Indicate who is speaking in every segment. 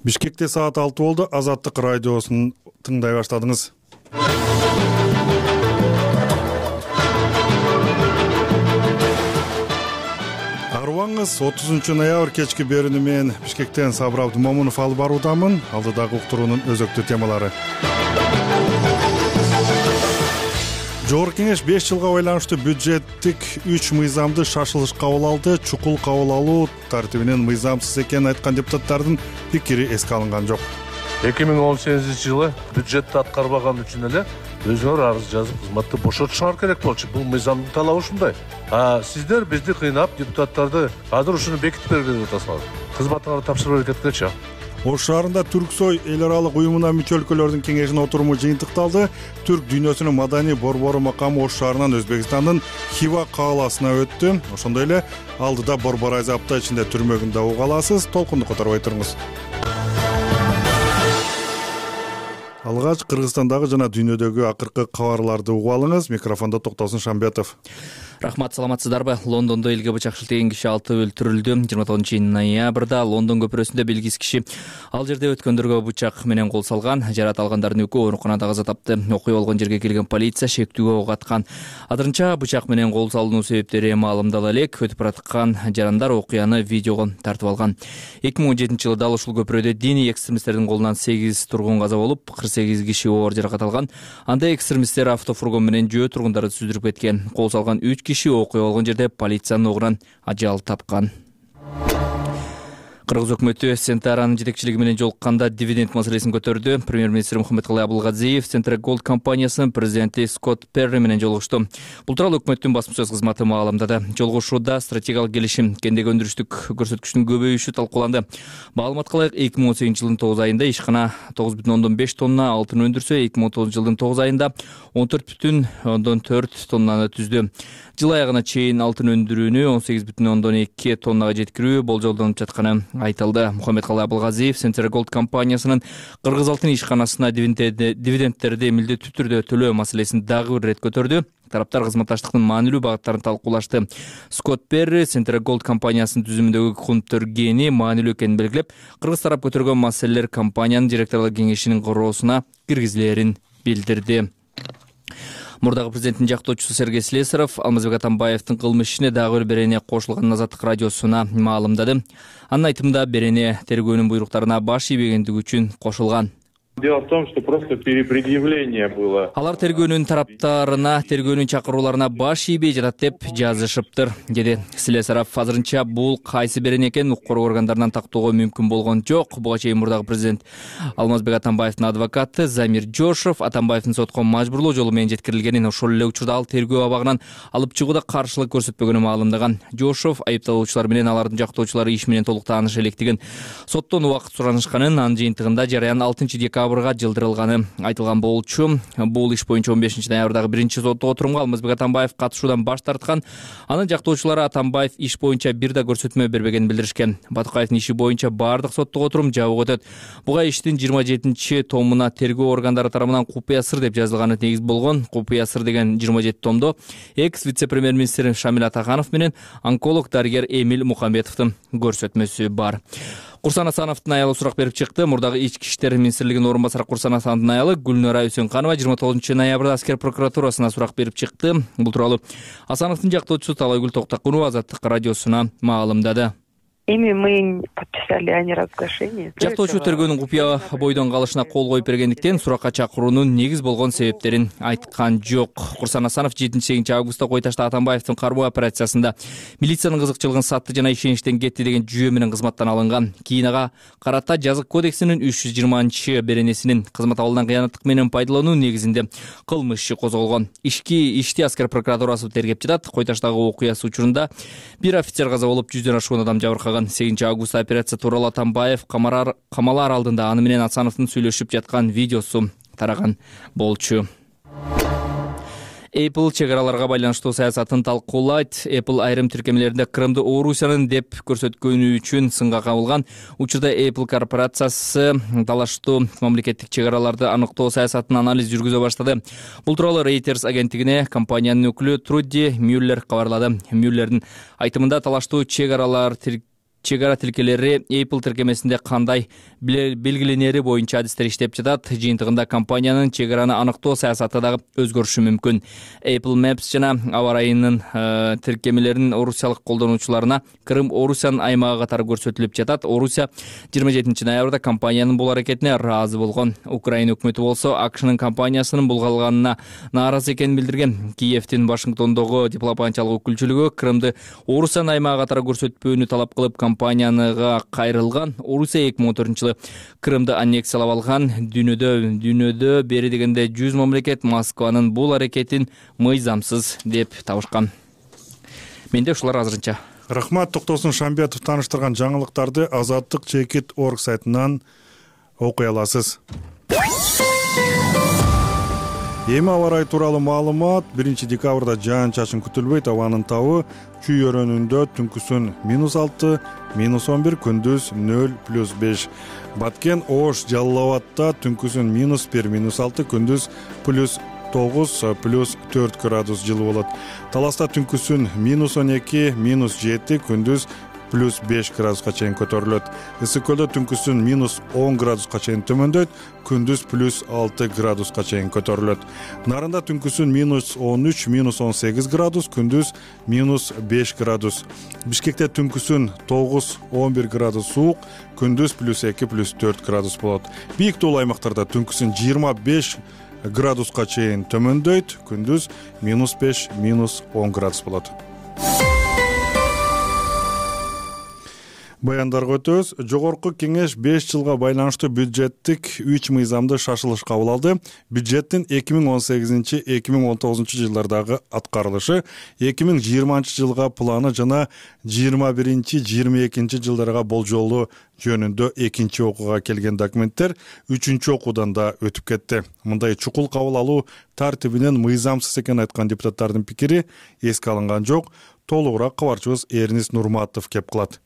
Speaker 1: Бишкекте саат 6 болду. Азаттык радиосун тыңдай баштадыңыз. Арыбаңыз 30 ноябрь кечки берүүнү мен Бишкектен Сабыр Абдымомунов алып баруудамын. Алдыдагы уктуруунун өзөктүү темалары. Жогорку кеңеш 5 жылга байланыштуу бюджеттик 3 мыйзамды шашылыш кабыл алды. Чукул кабыл алуу тартибинен мыйзамсыз экенин айткан депутаттардын пикири эске алынган жок.
Speaker 2: 2018-жылы бюджетти аткарбаган үчүн эле өзүңөр арыз жазып кызматты бошотушуңар керек болчу. Бул мыйзамдын талабы ушундай. Сиздер бизди кыйнап, депутаттарды азыр ушуну бекитип бергиле деп атасыңар. Кызматыңарды тапшырып кеткенчи.
Speaker 1: Ош шаарында Түрксой эл аралык уюмуна мүчө өлкөлөрдүн кеңешинин отуруму жыйынтыкталды. Түрк дүйнөсүнүн маданий борбору макамы Ош шаарынан Өзбекстандын Хива кааласына өттү. Ошондой эле алдыда борбор азапта ичинде түрмөгүндө уга аласыз. Толкунду которбой туруңуз. Алгач Кыргызстандагы жана дүйнөдөгү акыркы кабарларды угуп алыңыз. Микрофондо Токтосун Шамбетов.
Speaker 3: Рахмат, саламатсыздарбы? Лондондо элге бычак шилтеген киши 6 өлтүрүлдү. 29 ноябрда Лондон көпүрөсүндө белгисиз киши ал жерде өткөндөргө бычак менен кол салган. Жарат алгандардын экөө ооруканада каза тапты. Окуя болгон жерге келген полиция шектүүгө ок аткан. Азырынча бычак менен кол салуунун себептери маалымдала элек. Өтүп бараткан жарандар окуяны видеого тартып алган. 2017-жылы дал ушул көпүрөдө диний экстремисттердин колунан 8 тургун каза болуп, 48 киши оор жаракат алган. Анда экстремисттер автофургон менен жөө тургундарды сүздүрүп кеткен. Кол салган 3 киши окуя болгон жерде полициянын огунан ажал тапкан. Кыргыз өкмөтү Сентаранын жетекчилиги менен жолукканда дивиденд маселесин көтөрдү. Премьер-министр Мухаммедкалый Абылгазиев Central Gold компаниясынын президенти Скотт Перри менен жолугушту. Бул тууралуу өкмөттүн басма-сөз кызматы маалымдады. Жолугушууда стратегиялык келишим, кендеги өндүрүштүк көрсөткүчтүн көбөйүшү талкууланды. Маалыматка ылайык 2018-жылдын 9 айында ишкана 9,5 тонна алтын өндүрсө, 2019-жылдын 9 айында 14,4 тоннаны түздү. Жыл аягына чейин алтын өндүрүүнү 18,2 тоннага жеткирүү болжолдонуп жатканы айтылды. Мухаммедкалый Абылгазиев Central Gold компаниясынын Кыргыз алтын ишканасына дивидендтерди милдеттүү түрдө төлөө маселесин дагы бир ирет көтөрдү. Тараптар кызматташтыктын маанилүү багыттарын талкуулашты. Скотт Перри Central Gold компаниясынын түзүмүндөгү көндөргени маанилүү экенин белгилеп, кыргыз тарап көтөргөн маселелер компаниянын директорлор кеңешинин короосуна киргизилерин билдирди. Мурдагы президенттин жактоочусу Сергей Слесарев Алмазбек Атамбаевдин кылмыш ишине дагы бир берене кошулганын Азаттык радиосуна маалымдады. Анын айтымында берене тергөөнүн буйруктарына баш ийбегендиги үчүн кошулган.
Speaker 4: Дело в том, что просто перепредъявление было.
Speaker 3: Алар тергөөнүн тараптарына, тергөөнүн чакырууларына баш ийбей жатат деп жазышыптыр, деди Слесарев. Азырынча бул кайсы берене экенин укук коргоо органдарынан тактоого мүмкүн болгон жок. Буга чейин мурдагы президент Алмазбек Атамбаевдин адвокаты Замир Жошов Атамбаевдин сотко мажбурлоо жолу менен жеткирилгенин, ошол эле учурда ал тергөө абагынан алып чыгууда каршылык көрсөтпөгөнүн маалымдаган. Жошов айыпталуучулар менен алардын жактоочулары иш менен толук тааныш электигин, соттон убакыт суранышканын, анын жыйынтыгында жарыян 6-декабрга жылдырылганы айтылган болчу. Бул иш боюнча 15 ноябрдагы биринчи соттук отурумга Алмазбек Атамбаев катышуудан баш тарткан. Анын жактоочулары Атамбаев иш боюнча бир да көрсөтмө бербегенин билдиришкен. Батыкаевдин иши боюнча бардык соттук отурум жабык өтөт. Буга иштин 27 томуна тергөө органдары тарабынан купуя сыр деп жазылганы негиз болгон. Купуя сыр деген 27 томдо экс вице-премьер-министр Шамил Атаханов менен онколог дарыгер Эмиль Мухамбетовдун көрсөтмөсү бар. Курсан Асановдун аялы сурак берип чыкты. Мурдагы ички иштер министрлигинин орун басары Курсан Асановдун аялы Гүлнара Үсөнканова 29 ноябрда аскер прокуратурасына сурак берип чыкты. Бул тууралуу Асановдун жактоочусу Талайгүл Токтакунова Азаттык радиосуна маалымдады.
Speaker 5: Мы подписали о неразглашении.
Speaker 3: Жактоочу тергөөнүн купуя бойдон калышына кол коюп бергендиктен суракка чакыруунун негиз болгон себептерин айткан жок. Курсан Асанов 7-8 августта Кой Ташта Атамбаевдин кармоо операциясында милициянын кызыкчылыгын сатты жана ишеничтен кетти деген жүйө менен кызматтан алынган. Кийин ага карата жазык кодексинин 320 беренесинин кызмат абалдан кыянаттык менен пайдалануу негизинде кылмыш иши козголгон. Ишти аскер прокуратурасы тергеп жатат. Кой Таштагы окуясы учурунда бир офицер каза болуп, 100дөн ашуун адам жабыркаган. 8 августта операция тууралуу Атамбаев камалар алдында аны менен Асановдун сүйлөшүп жаткан видеосу тараган болчу. Apple чек араларга байланыштуу саясатын талкуулайт. Apple айрым тиркемелеринде Крымды Орусиянын деп көрсөткөнү үчүн сынга кабылган. Учурда Apple корпорациясы талаштуу мамлекеттик чек араларды аныктоо саясатын анализ жүргүзө баштады. Бул тууралуу Reuters агенттигине компаниянын өкүлү Труди Мюллер кабарлады. Мюллердин айтымында талаштуу чек аралар чек ара тилкелери Apple тиркемесинде кандай белгиленери боюнча адистер иштеп жатат. Жыйынтыгында компаниянын чек араны аныктоо саясаты дагы өзгөрүшү мүмкүн. Apple Maps жана аба ырайынын тиркемелеринин орусиялык колдонуучуларына Крым Орусиянын аймагы катары көрсөтүлүп жатат. Орусия 27 ноябрда компаниянын бул аракетине ыраазы болгон. Украина өкмөтү болсо АКШнын компаниясынын булгалганына нааразы экенин билдирген. Киевдин Вашингтондогу дипломатиялык өкүлчүлүгү Крымды Орусиянын аймагы катары көрсөтпөөнү талап кылып, компанияга кайрылган. Орусия 2014-жылы Крымды аннексиялап алган. Дүйнөдө бери дегенде 100 мамлекет Москванын бул аракетин мыйзамсыз деп табышкан. Менде ушулар азырынча.
Speaker 1: Рахмат. Токтосун Шамбетов тааныштырган жаңылыктарды Азаттык.org сайтынан окуй аласыз. Эми аба ырайы тууралуу маалымат. 1 декабрда жаан-чачын күтүлбөйт. Абанын табы Чүй өрөөнүндө түнкүсүн -6, -11, күндүз 0+5. Баткен, Ош, Жалал Абадта түнкүсүн -1, -6, күндүз +9, +4 градус жылы болот. Таласта түнкүсүн -12, -7, күндүз +5 градуска чейин көтөрүлөт. Ысык көлдө түнкүсүн -10 градуска чейин төмөндөйт, күндүз +6 градуска чейин көтөрүлөт. Нарында түнкүсүн -13, -18 градус, күндүз -5 градус. Бишкекте түнкүсүн 9-11 градус суук, күндүз +2, +4 градус болот. Бийик тоолуу аймактарда түнкүсүн 25 градуска чейин төмөндөйт, күндүз -5, -10 градус болот. Баяндарга өтөбүз. Жогорку кеңеш 5 жылга байланыштуу бюджеттик 3 мыйзамды шашылыш кабыл алды. Бюджеттин 2018-2019 жылдардагы аткарылышы, 2020 жылга планы жана 21-22 жылдарга болжолу жөнүндө экинчи окууга келген документтер 3-чү окуудан да өтүп кетти. Мындай чукул кабыл алуу тартибинен мыйзамсыз экенин айткан депутаттардын пикири эске алынган жок. Толугураак кабарчыбыз Эрнис Нурматов кеп кылат.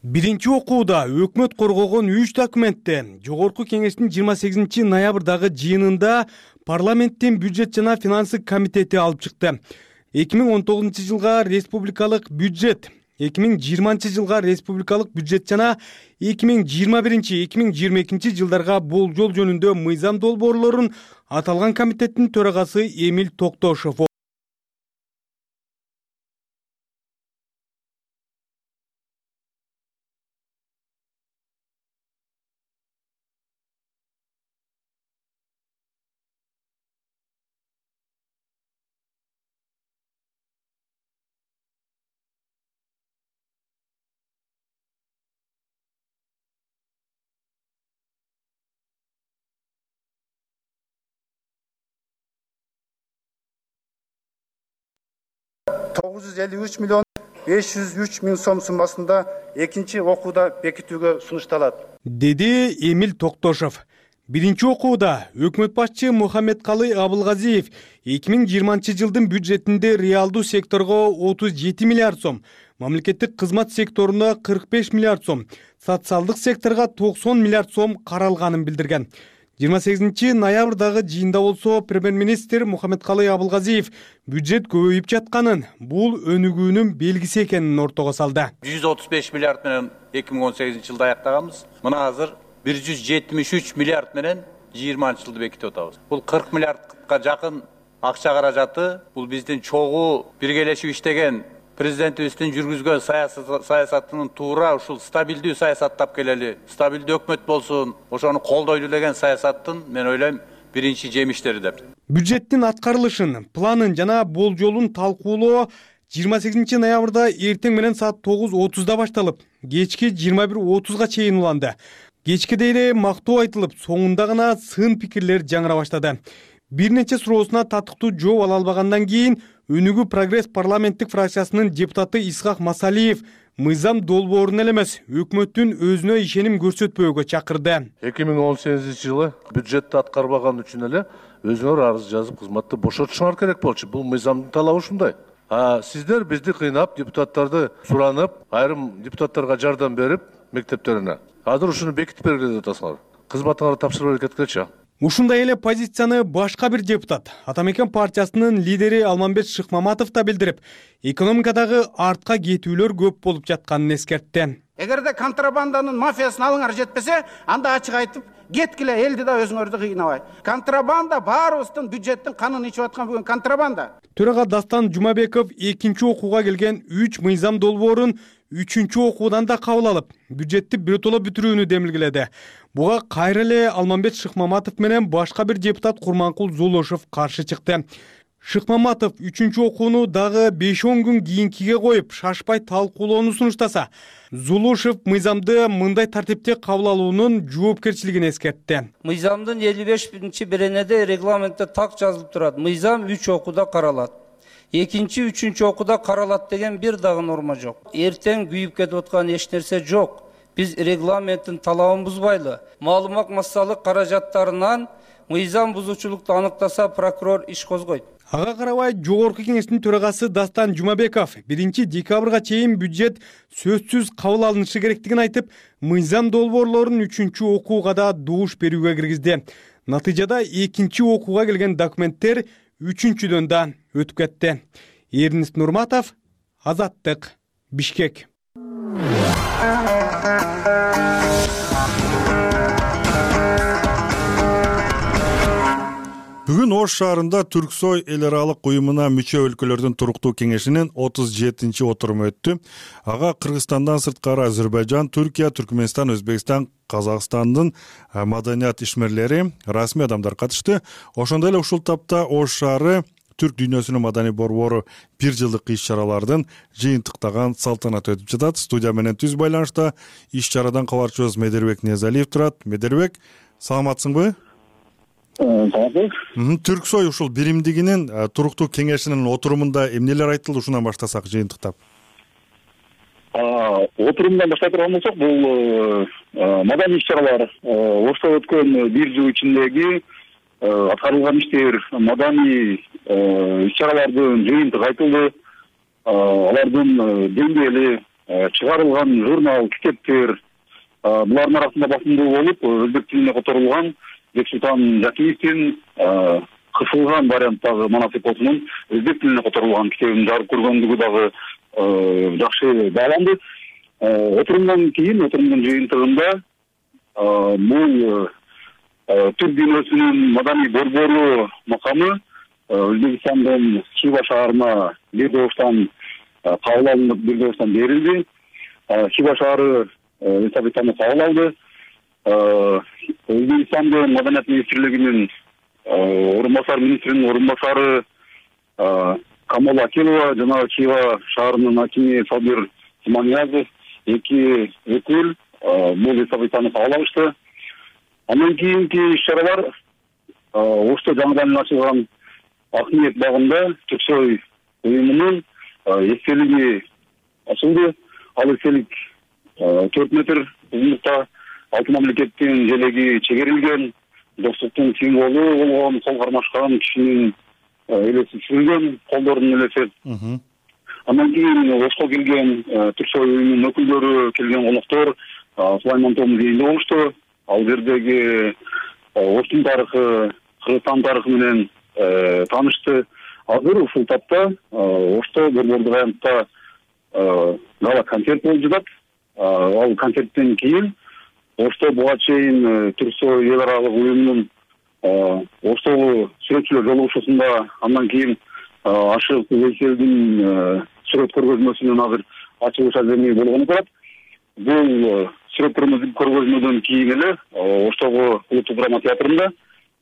Speaker 6: Биринчи окууда өкмөт коргогон 3 документте жогорку кеңештин 28 ноябрдагы жыйынында парламенттин бюджет жана финансы комитети алып чыкты. 2019 жылга республикалык бюджет, 2020 жылга республикалык бюджет жана 2021-2022 жылдарга болжол жөнүндө мыйзам долбоорлорун аталган комитеттин төрагасы Эмиль Токтошов
Speaker 7: $953 миллион 503 миң сом суммасында экинчи окууда бекитүүгө сунушталат,
Speaker 6: деди Эмиль Токтошов. Биринчи окууда өкмөт башчы Мухаммедкалый Абылгазиев 2020 жылдын бюджетинде реалдуу секторго 37 миллиард сом, мамлекеттик кызмат секторуна 45 миллиард сом, социалдык секторго 90 миллиард сом каралганын билдирген. 28 ноябрдагы жыйында болсо премьер-министр Мухаммедкалый Абылгазиев бюджет көбөйүп жатканын, бул өнүгүүнүн белгиси экенин ортого салды.
Speaker 8: 135 миллиард менен 2018 жылда аяктаганбыз. Мына азыр 173 миллиард менен 20 жылды бекитип атабыз. Бул 40 миллиардка жакын акча каражаты, бул биздин чогуу биргелешип иштеген президентибиздин жүргүзгөн саясатынын туура ушул стабилдүү саясаттап келели, стабилдүү өкмөт болсун, ошону колдойлу деген саясаттын мен ойлойм биринчи жемиштери деп.
Speaker 6: Бюджеттин аткарылышын, планын жана болжолун талкуулоо 28 ноябрда эртең менен саат 9:30 башталып, кечки 21:30 чейин уланды. Кечкиде эле мактоо айтылып, соңунда гана сын пикирлер жаңыра баштады. Бир нече суроосуна татыктуу жооп ала албагандан кийин Өнүгүү прогресс парламенттик фракциясынын депутаты Исхак Масалиев мыйзам долбоорун эле эмес, өкмөттүн өзүнө ишеним көрсөтпөөгө чакырды.
Speaker 2: 2018 жылы бюджетти аткарбаган үчүн эле өзүңөр арыз жазып кызматты бошотушуңар керек болчу. Бул мыйзамдын талабы ушундай. Сиздер бизди кыйнап, депутаттарды суранып, айрым депутаттарга жардам берип, мектептерине. Азыр ушуну бекитип бергиле деп атасыңар. Кызматыңарды тапшырып кеткилечи.
Speaker 6: Ушундай эле позицияны башка бир депутат, Атамекен партиясынын лидери Алмамбет Шыкмаматов да билдирип, экономикадагы артка кетүүлөр көп болуп жатканын эскертти.
Speaker 9: Эгерде контрабанданын мафиясын алыңар жетпесе, анда ачык айтып кеткиле, элди да өзүңөрдү кыйнабай. Контрабанда баарыбыздын бюджеттин канын ичип аткан бүгүн контрабанда.
Speaker 6: Төрага Дастан Жумабеков экинчи окууга келген 3 мыйзам долбоорун 3-чү окуудан да кабыл алып, бюджетти биротоло бүтүрүүнү демилгеледи. Буга кайра эле Алмамбет Шыкмаматов менен башка бир депутат Курманкул Зулушев каршы чыкты. Шыкмаматов 3-чү окууну дагы 5-10 күн кийинкиге коюп, шашпай талкуулоону сунуштаса, Зулушев мыйзамды мындай тартипте кабыл алуунун жоопкерчилигин эскертти.
Speaker 10: Мыйзамдын 55-беренеде регламентте так жазылып турат. Мыйзам 3 окууда каралат. Экинчи, 3-чү окууда каралат деген бир дагы норма жок. Эртең күйүп кетип аткан эч нерсе жок. Биз регламенттин талабын бузбайлы. Маалымат массалык каражаттарынан мыйзам бузуучулукту аныктаса, прокурор иш козгойт.
Speaker 6: Ага карабай жогорку кеңештин төрагасы Дастан Жумабеков 1-декабрга чейин бюджет сөзсүз кабыл алынышы керектигин айтып, мыйзам долбоорлорун 3-чү окууга да добуш берүүгө киргизди. Натыйжада 2-чи окууга келген документтер 3-чүдөн да өтүп кетти. Эрнист Нурматов, Азаттык, Бишкек.
Speaker 1: Бүгүн Ош шаарында Түрксой эл аралык уюмуна мүчө өлкөлөрдүн туруктуу кеңешинин 37-чи отуруму өттү. Ага Кыргызстандан сырткары Азербайжан, Түркия, Түркмөнстан, Өзбекстан, Казакстандын маданият ишмерлери, расмий адамдар катышты. Ошондой эле ушул тапта Ош шаары Түрк дүйнөсүнүн маданий борбору 1 жылдык иш-чаралардын жыйынтыктаган салтанат өтүп жатат. Студия менен түз байланышта иш-чарадан кабарчыбыз Медербек Ниязалиев турат. Медербек, саламатсыңбы? Түрксой ушул биримдигинин туруктуу кеңешинин отурумунда эмнелер айтылды, ушундан баштасак жыйынтыктап.
Speaker 11: Отурумдан баштап турган болсок, бул маданий иш-чаралар Ошто өткөн 1 жыл ичиндеги аткарылган иштер, маданий иш-чаралардын жыйынтыгы айтылды. Алардын деңгээли, чыгарылган журнал, китептер, булардын арасында басымдуу болуп, өзбек тилине которулган Бексултан Жакиевдин кысылган варианттагы Манас эпосунун өзбек тилине которулган китебин жарык көргөндүгү дагы жакшы бааланды. Отурумдан кийин, отурумдун жыйынтыгында бул Түрк дүйнөсүнүн маданий борбору макамы Өзбекстандын Хива шаарына бир добуштан кабыл алынып, бир добуштан берилди. Хива шаары эстафетаны кабыл алды. Өзбекстандын маданият министрлигинин министринин орун басары Камол Акилова жана Хива шаарынын акими Сабир Тиманиязов 2 өкүл бул эстафетаны кабыл алышты. Андан кийинки иш-чаралар Ошто жаңыдан ачылган Акниет багында Түрксой уюмунун эстелиги ачылды. Ал эстелик 4 метр узундукта 6 мамлекеттин желеги чегерилген, достуктун символу болгон кол кармашкан кишинин элеси түшүрүлгөн, колдордун элеси. Андан кийин Ошко келген Түрксой уюмунун өкүлдөрү, келген коноктор Сулайман Том музейинде болушту. Ал жердеги Оштун тарыхы, Кыргызстан тарыхы менен таанышты. Азыр ушул тапта Ошто борбордук аянтта гала концерт болуп жатат. Ал концерттен кийин Ошто буга чейин Түрксой эл аралык уюмунун Оштогу сүрөтчүлөр жолугушуусунда, андан кийин Ашык Вейселдин сүрөт көргөзмөсүнүн азыр ачылыш аземи болгону турат. Бул сүрөт көргөзмөдөн кийин эле Оштогу улуттук драма театрында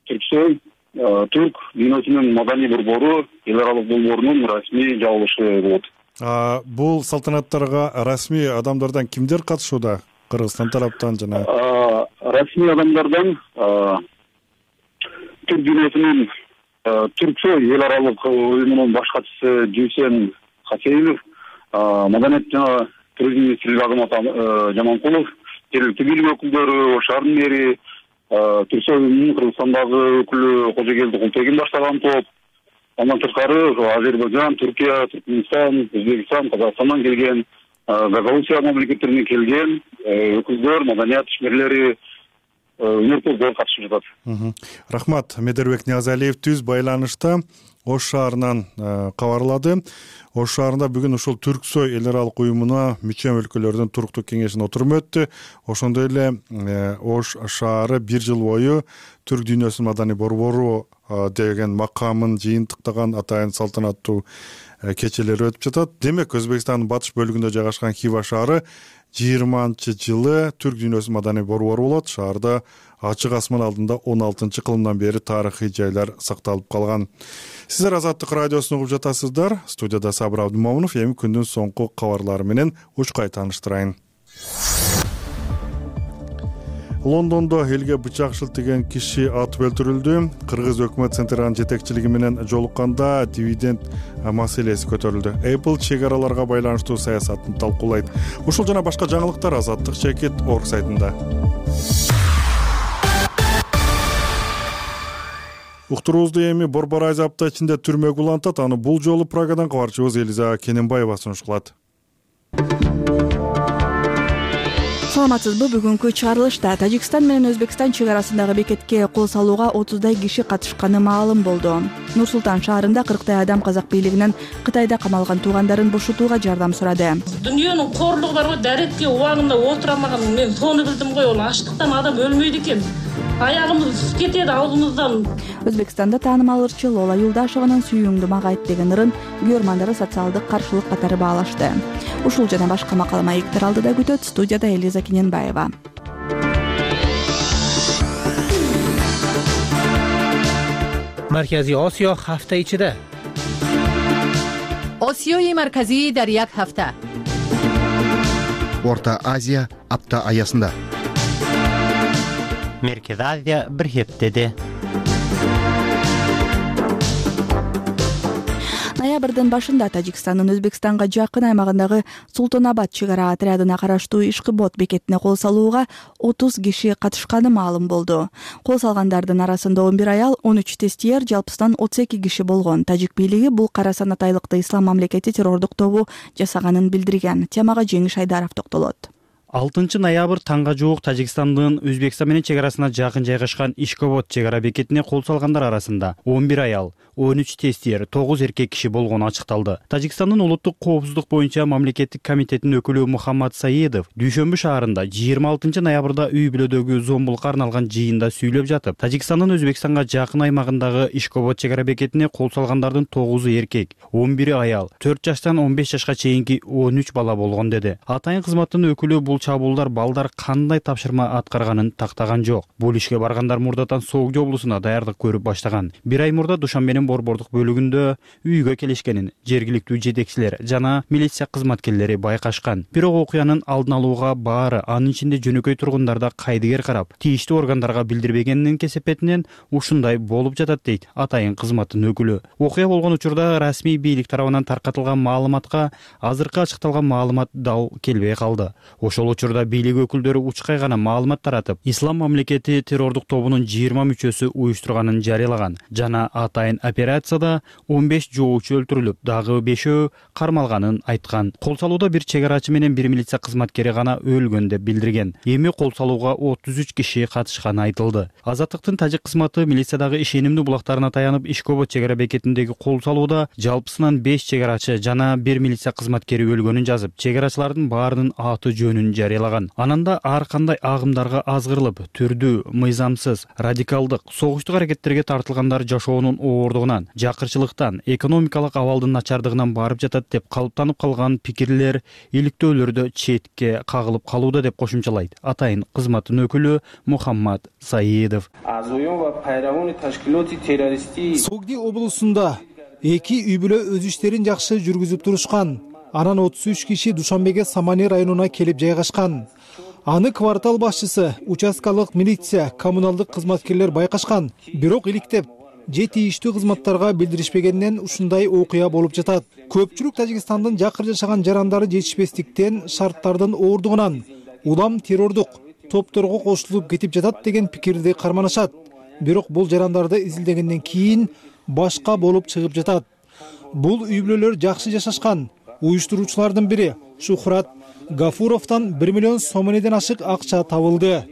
Speaker 11: Түрксой Түрк дүйнөсүнүн маданий борбору эл аралык долбоорунун расмий жабылышы болот.
Speaker 1: Бул салтанаттарга расмий адамдардан кимдер катышууда? Кыргызстан тараптан жана
Speaker 11: расмий адамдардан Түрк дүйнөсүнүн Түрксой эл аралык уюмунун баш катчысы Жүйсен Хасеилов, маданият жана туризм министри Азамат Жаманкулов, жергиликтүү бийлик өкүлдөрү, Ош шаарынын мэри, Түрксой уюмунун Кыргызстандагы өкүлү Кожогелди Култегин баштаган топ, андан тышкары Азербайжан, Түркия, Түркмөнстан, Өзбекстан, Казакстандан келген, Гагаузия мамлекеттеринен келген өкүлдөр, маданият ишмерлери, өнөр катышып жатат.
Speaker 1: Рахмат. Медербек Ниязалиев түз байланышта Ош шаарынан кабарлады. Ош шаарында бүгүн ушул Түрксой эл аралык уюмуна мүчө өлкөлөрдүн туруктук кеңешинин отуруму өттү. Ошондой эле Ош шаары бир жыл бою Түрк дүйнөсүнүн маданий борбору деген макамын жыйынтыктаган атайын салтанаттуу кечелер өтүп жатат. Демек, Өзбекстандын батыш бөлүгүндө жайгашкан Хива шаары 20-жылы Түрк дүйнөсүнүн маданий борбору болот. Шаарда ачык асман алдында 16-кылымдан бери тарыхый жайлар сакталып калган. Сиздер Азаттык радиосун угуп жатасыздар. Студияда Сабыр Абдымомунов. Эми күндүн соңку кабарлары менен учкай тааныштырайын. Лондондо элге бычак шилтеген киши атып өлтүрүлдү. Кыргыз өкмөт центринин жетекчилиги менен жолукканда дивиденд маселеси көтөрүлдү. Apple чек-араларга байланыштуу саясатын талкуулайт. Ушул жана башка жаңылыктар Азаттык.org сайтында. Уктуруубузду эми Борбор айзы апта ичинде түрмөгө улантат. Аны бул жолу Прагадан кабарчыбыз Элиза Кененбаева сунуш кылат.
Speaker 12: Саламатсызбы? Бүгүнкү чыгарылышта Тажикстан менен Өзбекстан чек арасындагы бекетке кол салууга 30дай киши катышканы маалым болду. Нур-Султан шаарында 40дай адам казак бийлигинен Кытайда камалган туугандарын бошотууга жардам сурады.
Speaker 13: Дүйнөнүн корлугу барбы, дарекке убагында отура алмаган мен сону билдим го. Ачлыктан адам өлмөйт экен. Аягымыз кетет алдымыздан.
Speaker 12: Өзбекстанда таанымал ырчы Лола Юлдашеванын "Сүйүүңдү мага айт" деген ырын көрмандары социалдык каршылык катары баалашты. Ушул жана башка макала маектер алдыда күтөт. Студияда Элиза Кененбаева.
Speaker 14: Маркази Осиё ҳафта ичида.
Speaker 15: Осиёи марказӣ дар як ҳафта.
Speaker 16: Орта Азия апта аясында.
Speaker 17: Merkez Азия bir heftede.
Speaker 12: Ноябрдын башында Тажикстандын Өзбекстанга жакын аймагындагы Султанабад чек ара отрядына караштуу Ишкыбот бекетине кол салууга 30 киши катышканы маалым болду. Кол салгандардын арасында 11 аял, 13 тестиер, жалпысынан 32 киши болгон. Тажик бийлиги бул кара санатайлыкты Ислам мамлекети террордук тобу жасаганын билдирген. Темага Жеңиш Айдаров токтолот.
Speaker 17: 6 ноябрь таңга жуук Тажикстандын Өзбекстан менен чек арасына жакын жайгашкан Ишкобот чек ара бекетине кол салгандар арасында 11 аял, 13 тестиер, 9 эркек киши болгону ачыкталды. Тажикстандын улуттук коопсуздук боюнча мамлекеттик комитетинин өкүлү Мухаммад Саидов Дүйшөмбү шаарында 26 ноябрда үй бүлөдөгү зомбулукка арналган жыйында сүйлөп жатып, Тажикстандын Өзбекстанга жакын аймагындагы Ишкобот чек ара бекетине кол салгандардын 9 эркек, 11 аял, 4 жаштан 15 жашка чейинки 13 бала болгон деди. Атайын кызматтын өкүлү бул чабуулдар балдар кандай тапшырма аткарганын тактаган жок. Бул ишке баргандар мурдатан Соогдо облусуна даярдык көрүп баштаган. Бир ай мурда Душанбенин борбордук бөлүгүндө үйгө келишкенин жергиликтүү жетекчилер жана милиция кызматкерлери байкашкан. Бирок окуянын алдын алууга баары, анын ичинде жөнөкөй тургундар да кайдыгер карап, тийиштүү органдарга билдирбегенинин кесепетинен ушундай болуп жатат дейт атайын кызматтын өкүлү. Окуя болгон учурда расмий бийлик тарабынан таркатылган маалыматка азыркы ачыкталган маалымат дал келбей калды. Ошол учурда бийлик өкүлдөрү учкай гана маалымат таратып, Ислам мамлекети террордук тобунун 20 мүчөсү уюштурганын жарыялаган жана атайын операцияда 15 жоочу өлтүрүлүп, дагы 5 кармалганын айткан. Кол салууда бир чек арачы менен бир милиция кызматкери гана өлгөн деп билдирген. Эми кол салууга 33 киши катышканы айтылды. Азаттыктын тажик кызматы милициядагы ишенимдүү булактарына таянып, Ишкобот чек ара бекетиндеги кол салууда жалпысынан 5 чек арачы жана бир милиция кызматкери өлгөнүн жазып, чек арачылардын баарынын аты жөнүн жарыялаган. Ананда ар кандай агымдарга азгырылып, түрдүү, мыйзамсыз, радикалдык, согуштук аракеттерге тартылгандар жашоонун оордугунан, жакырчылыктан, экономикалык абалдын начардыгынан барып жатат деп калыптанып калган пикирлер, иликтөөлөрдө четке кагылып калууда деп кошумчалайт атайын кызматтын өкүлү Мухаммад Саидов.
Speaker 18: Согди облусунда 2 үй бүлө өз иштерин жакшы жүргүзүп турушкан. Анан 33 киши Душанбеге Самани районуна келип жайгашкан. Аны квартал башчысы, участкалык милиция, коммуналдык кызматкерлер байкашкан. Бирок иликтеп, же тийиштүү кызматтарга билдиришпегенинен ушундай окуя болуп жатат. Көпчүлүк Тажикстандын жакыр жашаган жарандары жетишпестиктен, шарттардын оордугунан улам террордук топторго кошулуп кетип жатат деген пикирди карманышат. Бирок бул жарандарды изилдегенден кийин башка болуп чыгып жатат. Бул үй бүлөлөр жакшы жашашкан. Уюштуруучулардын бири Шухрат Гафуровдон 1 миллион сомонеден ашык акча табылды.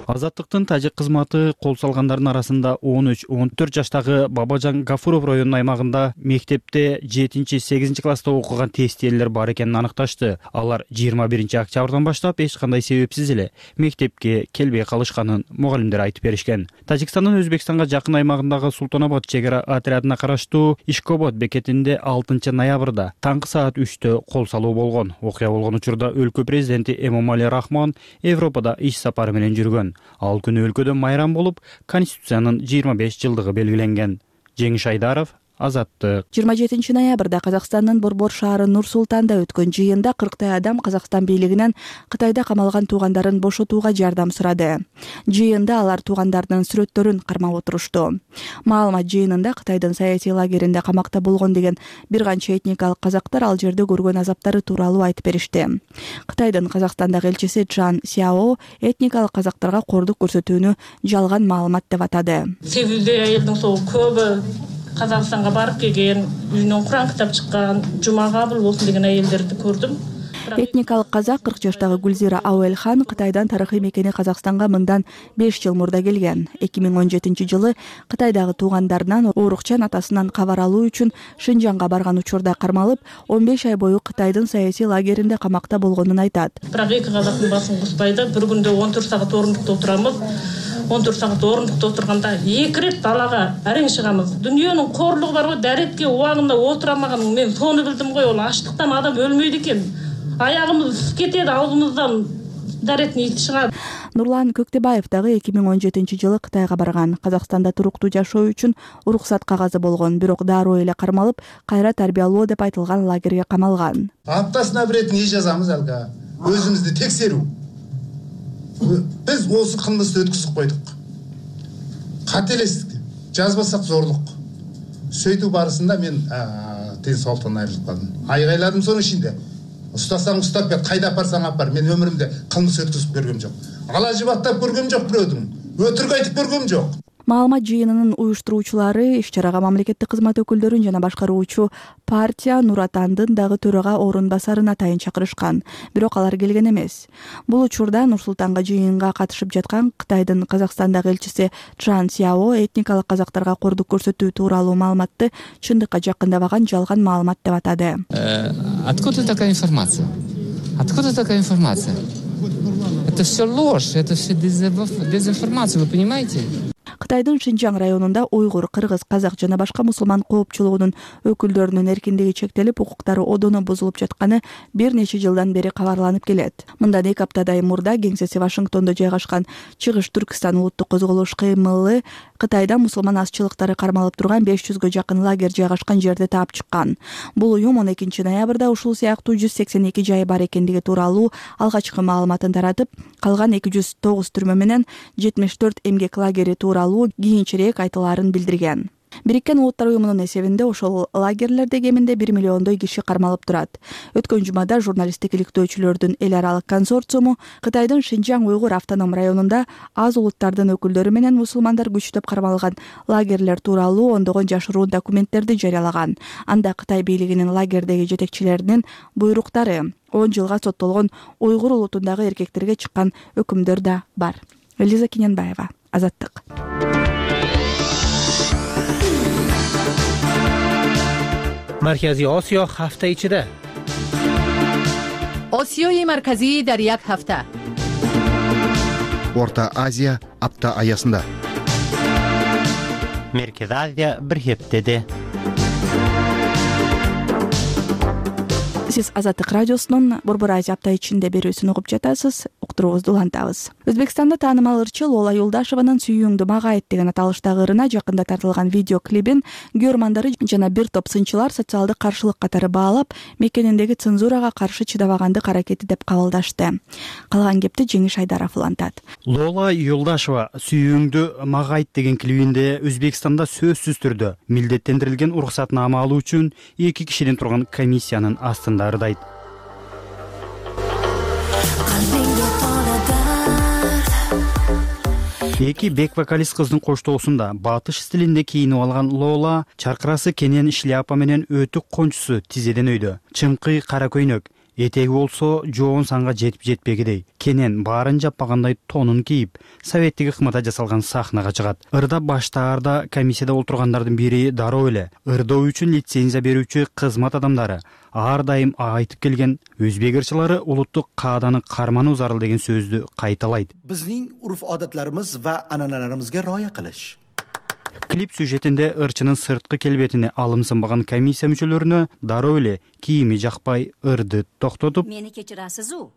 Speaker 17: Азаттыктын тажик кызматы кол салгандардын арасында 13-14 жаштагы Бабажан Гафуров районунун аймагында мектепте 7-8 класста окуган тестиелер бар экенин аныкташты. Алар 21 октябрдан баштап эч кандай себепсиз эле мектепке келбей калышканын мугалимдер айтып беришкен. Тажикстандын Өзбекстанга жакын аймагындагы Султанабад чек ара отрядына караштуу Ишкобод бекетинде 6 ноябрда таңкы саат 3-тө кол салуу болгон. Окуя болгон учурда өлкө президенти Эмомали Рахмон Европада иш сапары менен жүргөн. Ал күнү өлкөдө майрам болуп, Конституциянын 25 жылдыгы белгиленген. Жеңиш Айдаров, Азаттык.
Speaker 12: 27 ноябрда Казакстандын Борбор шаары Нур-Султанда өткөн жыйында 40 адам Казакстан бийлигинен Кытайда камалган туугандарын бошотууга жардам сурады. Жыйында алар туугандардын сүрөттөрүн кармап отурушту. Маалымат жыйынында Кытайдын саясий лагеринде камакта болгон деген бир канча этникалык казактар ал жерде көргөн азаптары тууралуу айтып беришти. Кытайдын Казакстандагы элчиси Чжан Сяо этникалык казактарга кордук көрсөтүүнү жалган маалымат деп атады.
Speaker 13: Себеби айылдын сол көбү Казакстанга барып келген, үйүнөн Куран китап чыккан, жума кабыл болсун деген айелдерди көрдүм.
Speaker 12: Этникалык казак 40 жаштагы Гүлзира Ауэлхан Кытайдан тарыхый мекени Казакстанга мындан 5 жыл мурда келген. 2017 жылы Кытайдагы туугандарынан оорукчан атасынан кабар алуу үчүн Шинжанга барган учурда кармалып, 15 ай бою Кытайдын саясий лагеринде камакта болгонун айтат.
Speaker 13: Бирок эки казактын басын куспайды. Бир күндө 14 саат орундукта отурамыз. 14 саат орундукта отурганда 2 рет далага арең чыгамыз. Дүйнөнүн корлугу бар го, дарекке убагында отурамаган мен сону билдим го, ол ачлыктан адам өлмөйт экен. Аягымыз кетеді, аузымыздан даретный чыгат.
Speaker 12: Нурлан Көктебаев дагы 2017 жылы Кытайга барган. Казакстанда туруктуу жашоо үчүн уруксат кагазы болгон, бирок дароо эле кармалып, кайра тарбиялоо деп айтылган лагерге камалган.
Speaker 14: Аптасына бир рет не жазамыз алга? Өзүбүздү текшерүү. Биз осы кылмышты өткүзүп койдук. Кателестик, жазбасак зорлук. Сөйтүү барысында мен тен соолуктан айрылып калдым. Айгайладым сонун ичинде. Устасаң устап кет, кайда апарсаң апар. Мен өмүрүмдө кылмыш өткүзүп көргөм жок. Ала жыбаттап көргөм жок бирөөдүн. Өтүрүк айтып көргөм жок.
Speaker 12: Маалымат жыйынынын уюштуруучулары иш-чарага мамлекеттик кызмат өкүлдөрүн жана башкаруучу партия Нур Атандын дагы төрага орун басарына атайын чакырышкан, бирок алар келген эмес. Бул учурда Нур-Султанга жыйынга катышып жаткан Кытайдын Казакстандагы элчиси Чжан Сяо этникалык казактарга кордук көрсөтүү тууралуу маалыматты чындыкка жакындабаган жалган маалымат деп атады.
Speaker 19: Откуда такая информация? Откуда такая информация? Это все ложь, это все дезинформация, вы понимаете?
Speaker 12: Кытайдын Шинжаң районунда уйгур, кыргыз, казак жана башка мусулман коопчулугунун өкүлдөрүнүн эркиндиги чектелип, укуктары одоно бузулуп жатканы бир нече жылдан бери кабарланып келет. Мындан 2 аптадай мурда кеңсеси Вашингтондо жайгашкан Чыгыш Түркистан улуттук козголуш кыймылы Кытайда мусулман азчылыктары кармалып турган 500гө жакын лагерь жайгашкан жерде таап чыккан. Бул уюм 12 ноябрда ушул сыяктуу 182 жайы бар экендиги тууралуу алгачкы маалыматын таратып, калган 209 түрмө менен 74 эмгек лагери тууралуу кийинчерээк айтылаарын билдирген. Бириккен Улуттар уюмунун эсебинде ошол лагерлерде кеминде 1 миллиондой киши кармалып турат. Өткөн жумада журналисттик иликтөөчүлөрдүн эл аралык консорциуму Кытайдын Шинжаң уйгур автоном районунда аз улуттардын өкүлдөрү менен мусулмандар күчтөп кармалган лагерлер тууралуу ондогон жашыруун документтерди жарыялаган. Анда Кытай бийлигинин лагердеги жетекчилеринин буйруктары 10 жылга соттолгон уйгур улутундагы эркектерге чыккан өкүмдөр да бар. Элиза Кененбаева, Азаттык.
Speaker 20: Маркази Осиё ҳафта ичида.
Speaker 15: Осиёи марказӣ дар як ҳафта.
Speaker 16: Орта Азия апта аясында.
Speaker 20: Меркез Азия бир хептеде.
Speaker 12: Сиз Азаттык радиосунун Борбор Азия апта ичинде берүүсүн угуп жатасыз. Уктуруубузду улантабыз. Өзбекстанда таанымал ырчы Лола Юлдашеванын «Сүйүүңдү мага айт» деген аталыштагы ырына жакында тартылган видео клибин көрмандары жана бир топ сынчылар социалдык каршылык катары баалап, мекениндеги цензурага каршы чыдабагандык аракети деп кабылдашты. Калган кепти Жеңиш Айдаров улантат.
Speaker 17: Лола Юлдашева «Сүйүүңдү мага айт» деген клибинде Өзбекстанда сөзсүз түрдө милдеттендирилген уруксатнама алуу үчүн 2 кишиден турган комиссиянын астында ырдайт. Эки бек-вокалист кыздын коштоосунда батыш стилинде кийинип алган Лола чаркырасы кенен шляпа менен өтүк кончусу тизеден өйдө. Чыңкый кара көйнөк, Этеги болсо жоон санга жетип жетпегидей. Кенен баарын жаппагандай тонун кийип, советтик ыкмада жасалган сахнага чыгат. Ырда баштаарда комиссияда отургандардын бири дароо эле ырдоо үчүн лицензия берүүчү кызмат адамдары ар дайым айтып келген өзбек ырчылары улуттук кааданы кармануу зарыл деген сөздү кайталайт.
Speaker 21: Биздин урф-odatlarimiz va an'analarimizga rioya qilish.
Speaker 17: Клип сюжетинде ырчынын сырткы келбетине алымсынбаган комиссия мүчөлөрүнө дароо эле кийими жакпай ырды токтотуп,
Speaker 22: мени кечирасизу?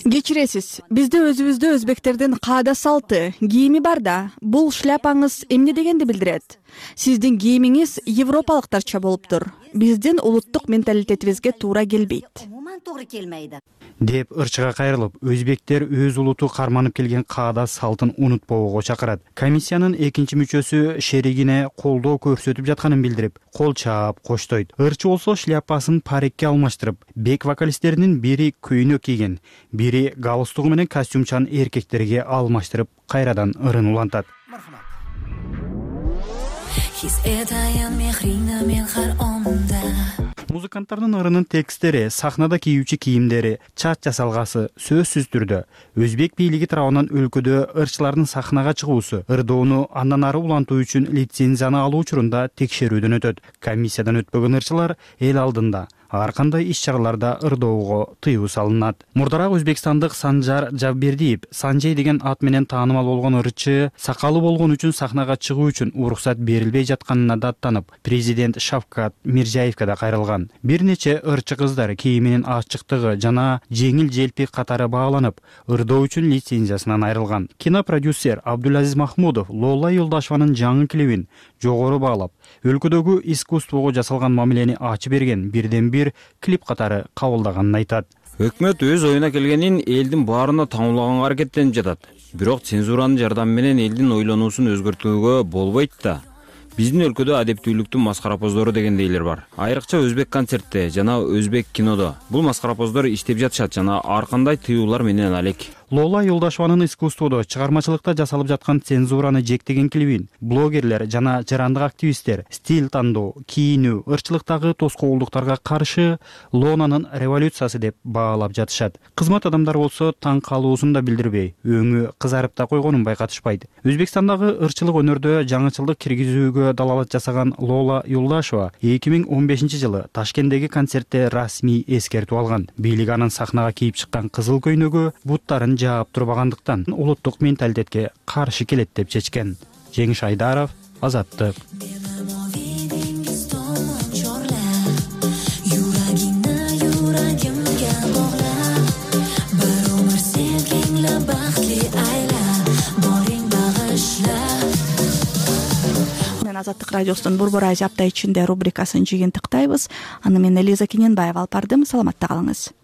Speaker 12: Кечиресиз. Бизде өзүбүздө өзбектердин каада салты, кийими бар да. Бул шляпаңыз эмне дегенди билдирет? Сиздин кийимиңиз европалыктарча болуптур. Биздин улуттук менталитетибизге туура келбейт.
Speaker 22: Туура келмейди.
Speaker 17: Деп ырчыга кайрылып, өзбектер өз улуту карманып келген каада салтын унутпоого чакырат. Комиссиянын экинчи мүчөсү шеригине колдоо көрсөтүп жатканын билдирип, кол чаап коштойт. Ырчы болсо шляпасын парикке алмаштырып, бек вокалисттеринин бири көйнөк кийген, бири галстугу менен костюмчан эркектерге алмаштырып, кайрадан ырын улантат. Музыканттардын ырынын текстери, сахнада кийүүчү кийимдери, чач жасалгасы сөзсүз түрдө өзбек бийлиги тарабынан өлкөдө ырчылардын сахнага чыгуусу, ырдоону андан ары улантуу үчүн лицензияны алуу учурунда текшерүүдөн өтөт. Комиссиядан өтпөгөн ырчылар эл алдында ар кандай иш-чараларда ырдоого тыюу салынат. Мурдараак өзбекстандык Санжар Жавбердиев Санжей деген ат менен таанымал болгон ырчы сакалы болгон үчүн сахнага чыгуу үчүн уруксат берилбей жатканына даттанып, президент Шавкат Мирзиевке да кайрылган. Бир нече ырчы кыздар кийиминин ачыктыгы жана жеңил желпи катары бааланып, ырдоо үчүн лицензиясынан айрылган. Кинопродюсер Абдулазиз Махмудов Лола Юлдашеванын жаңы клибин жогору баалап, өлкөдөгү искусствого жасалган мамилени ачып берген бирден бир клип катары кабылдаганын айтат.
Speaker 23: Өкмөт өз оюна келгенин элдин баарына таңуулаганга аракеттенип жатат. Бирок цензуранын жардамы менен элдин ойлонуусун өзгөртүүгө болбойт да. Биздин өлкөдө адептүүлүктүн маскарапоздору дегендейлер бар. Айрыкча өзбек концертте жана өзбек кинодо. Бул маскарапоздор иштеп жатышат жана ар кандай тыюулар менен алек.
Speaker 17: Лола Юлдашеванын искусстводо, чыгармачылыкта жасалып жаткан цензураны жектеген клибин блогерлер жана жарандык активисттер стиль тандоо, кийинүү, ырчылыктагы тоскоолдуктарга каршы Лонанын революциясы деп баалап жатышат. Кызмат адамдар болсо таң калуусун да билдирбей, өңү кызарып да койгонун байкатышпайт. Өзбекстандагы ырчылык өнөрдө жаңычылдык киргизүүгө далалат жасаган Лола Юлдашева 2015-жылы Ташкенттеги концертте расмий эскертүү алган. Бийлик анын сахнага кийип чыккан кызыл көйнөгү буттарын жаап турбагандыктан улуттук менталитетке каршы келет деп чечкен. Жеңиш Айдаров, Азаттык.
Speaker 12: Азаттык радиосунун Борбор Азия апта ичинде рубрикасын жыйынтыктайбыз. Аны мен Элиза Кененбаева алып бардым. Саламатта калыңыз.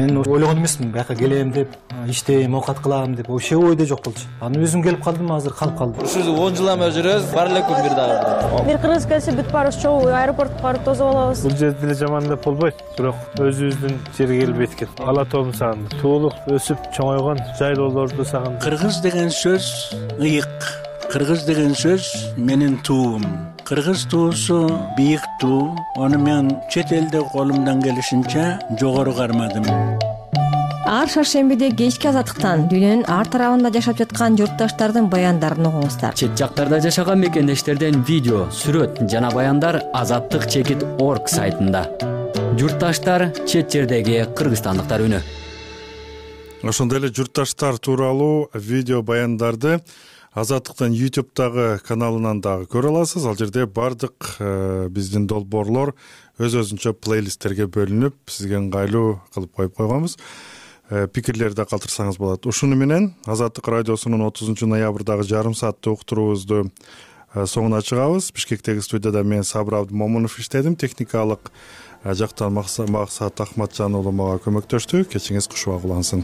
Speaker 24: Мен ойлогон эмесмин, бияка келем деп, иштейм, оокат кылам деп, вообще ойдо жок болчу. Аны өзүм келип калдым, азыр калып калдым.
Speaker 25: Ушул 10 жылдан бери жүрөбүз, бар эле күн бир дагы.
Speaker 26: Бир кыргыз келсе бүт баарыбыз чогуу аэропортко барып тосуп алабыз.
Speaker 27: Бул жерде деле жаман деп болбойт, бирок өзүбүздүн жерге келип эткет. Ала тоомду сагындым. Туулуп, өсүп, чоңойгон жайлоолорду сагындым.
Speaker 28: Кыргыз деген сөз ыйык. Кыргыз деген сөз менин туум. Кыргыз туусу бийик туу. Аны мен чет элде колумдан келишинче жогору кармадым.
Speaker 26: Ар шаршембиде кечки азаттыктан дүйнөнүн ар тарабында жашап жаткан журтташтардын баяндарын угуңуздар.
Speaker 29: Чет жактарда жашаган мекендештерден видео, сүрөт жана баяндар azattik.org сайтында. Журтташтар чет жердеги кыргызстандыктар үнү.
Speaker 1: Ошондой эле журтташтар тууралуу видео баяндарды Азаттыктын YouTube'дагы каналынан дагы көрө аласыз. Ал жерде бардык биздин долбоорлор өз-өзүнчө плейлисттерге бөлүнүп, сизге ыңгайлуу кылып коюп койгонбуз. Пикирлерди калтырсаңыз болот. Ушуну менен Азаттык радиосунун 30 ноябрдагы жарым сааттык уктуруубузду соңуна чыгабыз. Бишкектеги студияда мен Сабыр Абдымомунов иштедим. Техникалык жактан Максат Ахматжан уулу мага көмөктөштү. Кечиңиз кушубак улансын.